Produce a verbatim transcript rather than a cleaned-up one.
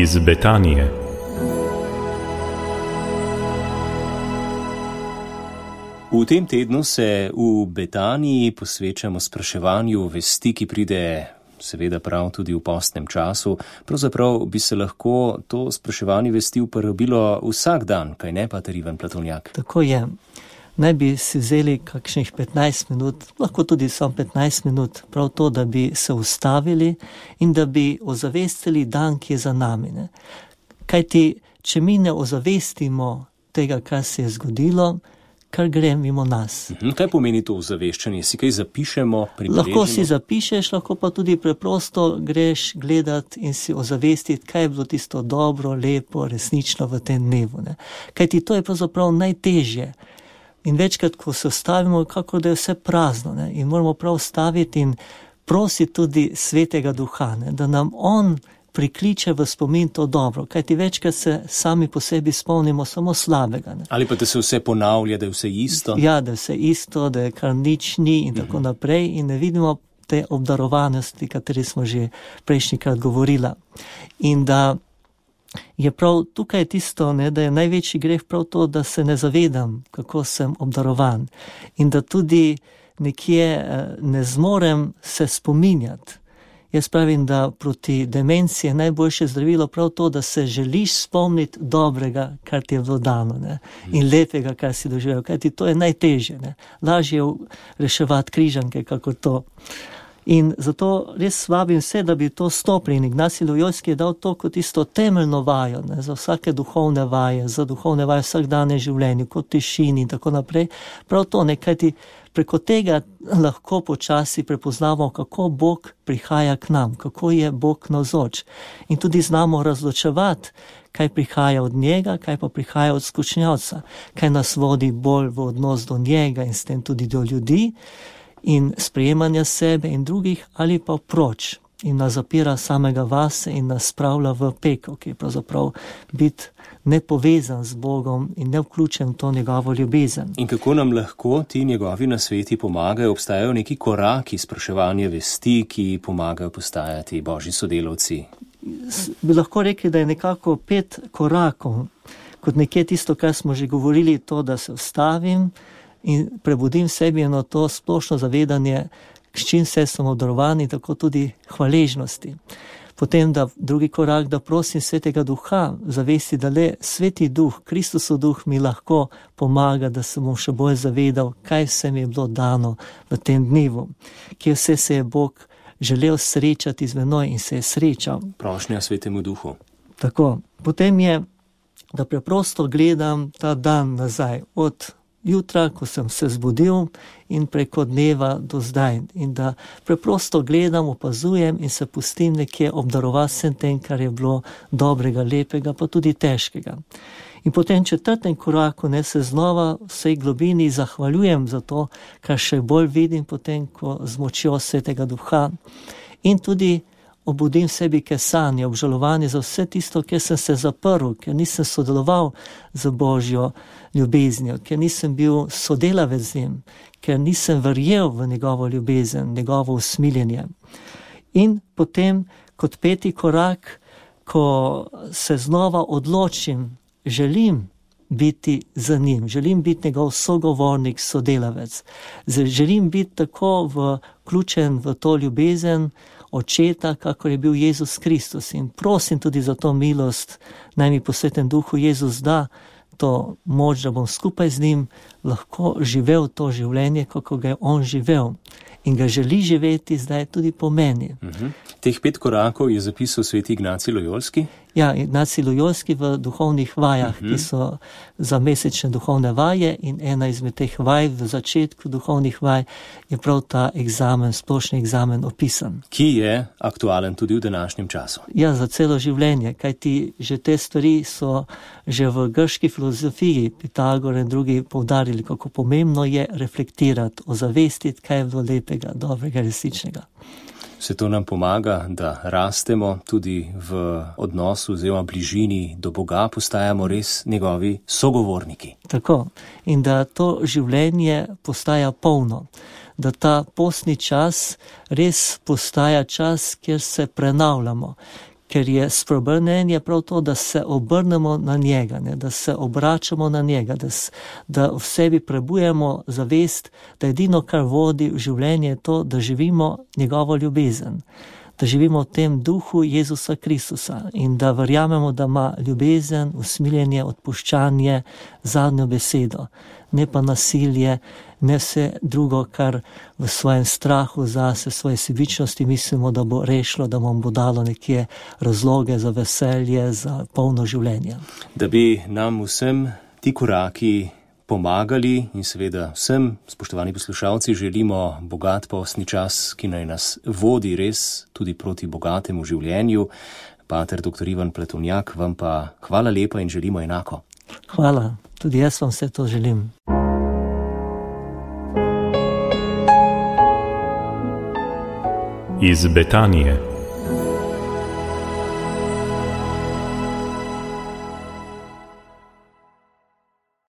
iz Betanije. V tem tednu se v Betaniji posvečamo spraševanju vesti, ki pride seveda prav tudi v postnem času. Pravzaprav bi se lahko to spraševanje vesti uporabilo vsak dan, kaj ne, pater Ivan Platonjak? Tako je. Naj bi si vzeli kakšnih petnajst minut, lahko tudi samo petnajst minut, prav to, da bi se ustavili in da bi ozavestili dan, ki je za nami. Ne? Kajti, če mi ne ozavestimo tega, kar se je zgodilo, kar gre mimo nas. Kaj pomeni to ozaveščanje? Si kaj zapišemo, pribeležimo? Lahko si zapišeš, lahko pa tudi preprosto greš gledati in si ozavestiti, kaj je bilo tisto dobro, lepo, resnično v tem dnevu. Ne? Kajti to je pravzaprav najtežje. In večkrat, ko se stavimo, kako da je vse prazno, ne? In moramo prav staviti in prositi tudi Svetega Duha, ne? Da nam on prikliče v spomin to dobro, kajti večkrat se sami po sebi spomnimo samo slabega. Ne? Ali pa da se vse ponavlja, da je vse isto? Ja, da je vse isto, da je kar nič ni in tako naprej in ne vidimo te obdarovanosti, kateri smo že prejšnjikrat govorila. In da je prav tukaj tisto, ne, da je največji greh prav to, da se ne zavedam, kako sem obdarovan in da tudi nekje ne zmorem se spominjati. Jaz pravim, da proti demenciji je najboljše zdravilo prav to, da se želiš spomniti dobrega, kar ti je bilo dano, ne? In lepega, kar si doživel, kajti to je najtežje. Ne? Lažje je reševati križanke, kako to. In zato res vabim vse, da bi to stopili. In Ignacij Lojolski je dal to kot isto temeljno vajo, ne, za vsake duhovne vaje, za duhovne vaje vsakdanje življenje, kot tišini in tako naprej. Prav to, ne, kajti preko tega lahko počasi prepoznamo, kako Bog prihaja k nam, kako je Bog navzoč. In tudi znamo razločevati, kaj prihaja od njega, kaj pa prihaja od skušnjavca, kaj nas vodi bolj v odnos do njega in s tem tudi do ljudi, in sprejemanja sebe in drugih, ali pa proč in nas zapira samega vase in nas spravlja v pekel, ki je pravzaprav biti nepovezan z Bogom in ne vključen v to njegovo ljubezen. In kako nam lahko ti njegovi nasveti pomagajo? Obstajajo neki koraki spraševanja vesti, ki pomagajo postajati božji sodelavci? Bi lahko rekli, da je nekako pet korakov, kot nekje tisto, kar smo že govorili, to, da se vstavim in prebudim sebi eno to splošno zavedanje, s čim se smo obdarovani, tako tudi hvaležnosti. Potem, da drugi korak, da prosim Svetega Duha, zavesti, da le Sveti Duh, Kristusov Duh mi lahko pomaga, da se bom še bolj zavedal, kaj vse mi je bilo dano v tem dnevu, kje vse se je Bog želel srečati z menoj in se je srečal. Prošnja Svetemu Duhu. Tako. Potem je, da preprosto gledam ta dan nazaj, od jutra, ko sem se zbudil in preko dneva do zdaj. In da preprosto gledam, opazujem in se pustim nekje obdarovati vsem tem, kar je bilo dobrega, lepega, pa tudi težkega. In potem četrtem koraku ne se znova vsej globini zahvaljujem za to, kar še bolj vidim potem, ko z močjo Svetega Duha. In tudi obudim sebi kesanje, obžalovanje za vse tisto, ker sem se zaprl, ker nisem sodeloval z Božjo ljubeznijo, ker nisem bil sodelavec z njim, ker nisem verjel v njegovo ljubezen, njegovo usmiljenje. In potem, kot peti korak, ko se znova odločim, želim biti za njim, želim biti njegov sogovornik, sodelavec, želim biti tako vključen v to ljubezen Očeta, kakor je bil Jezus Kristus. In prosim tudi za to milost, naj mi po Svetem Duhu Jezus da to moč, da bom skupaj z njim lahko živel to življenje, kako ga je on živel. In ga želi živeti zdaj tudi po meni. Uh-huh. Teh pet korakov je zapisal sveti Ignacij Lojolski? Ja, Ignacij Lojolski v duhovnih vajah, uh-huh. ki so za mesečne duhovne vaje, in ena izmed teh vaj v začetku duhovnih vaj je prav ta egzamen, splošni egzamen opisan. Ki je aktualen tudi v današnjem času. Ja, za celo življenje, kajti že te stvari so že v grški filozofiji Pitagor in drugi poudarili, kako pomembno je reflektirati, ozavestiti, kaj je bilo lepega, dobrega, resničnega. Vse to nam pomaga, da rastemo tudi v odnosu oziroma bližini do Boga, postajamo res njegovi sogovorniki. Tako. In da to življenje postaja polno. Da ta postni čas res postaja čas, kjer se prenavljamo, ker je spreobrnenje prav to, da se obrnemo na njega, ne, da se obračamo na njega, da, s, da v sebi prebujemo zavest, da edino, kar vodi v življenje, je to, da živimo njegovo ljubezen, da živimo v tem duhu Jezusa Kristusa in da verjamemo, da ima ljubezen, usmiljenje, odpuščanje, zadnjo besedo, ne pa nasilje, ne vse drugo, kar v svojem strahu zase, svoje sebičnosti mislimo, da bo rešilo, da vam bo dalo nekje razloge za veselje, za polno življenje. Da bi nam vsem ti koraki pomagali in seveda vsem, spoštovani poslušalci, želimo bogat postni čas, ki naj nas vodi res tudi proti bogatemu življenju. Pater doktor Ivan Pletovnjak, vam pa hvala lepa in želimo enako. Hvala, tudi jaz vam vse to želim. Iz Betanije.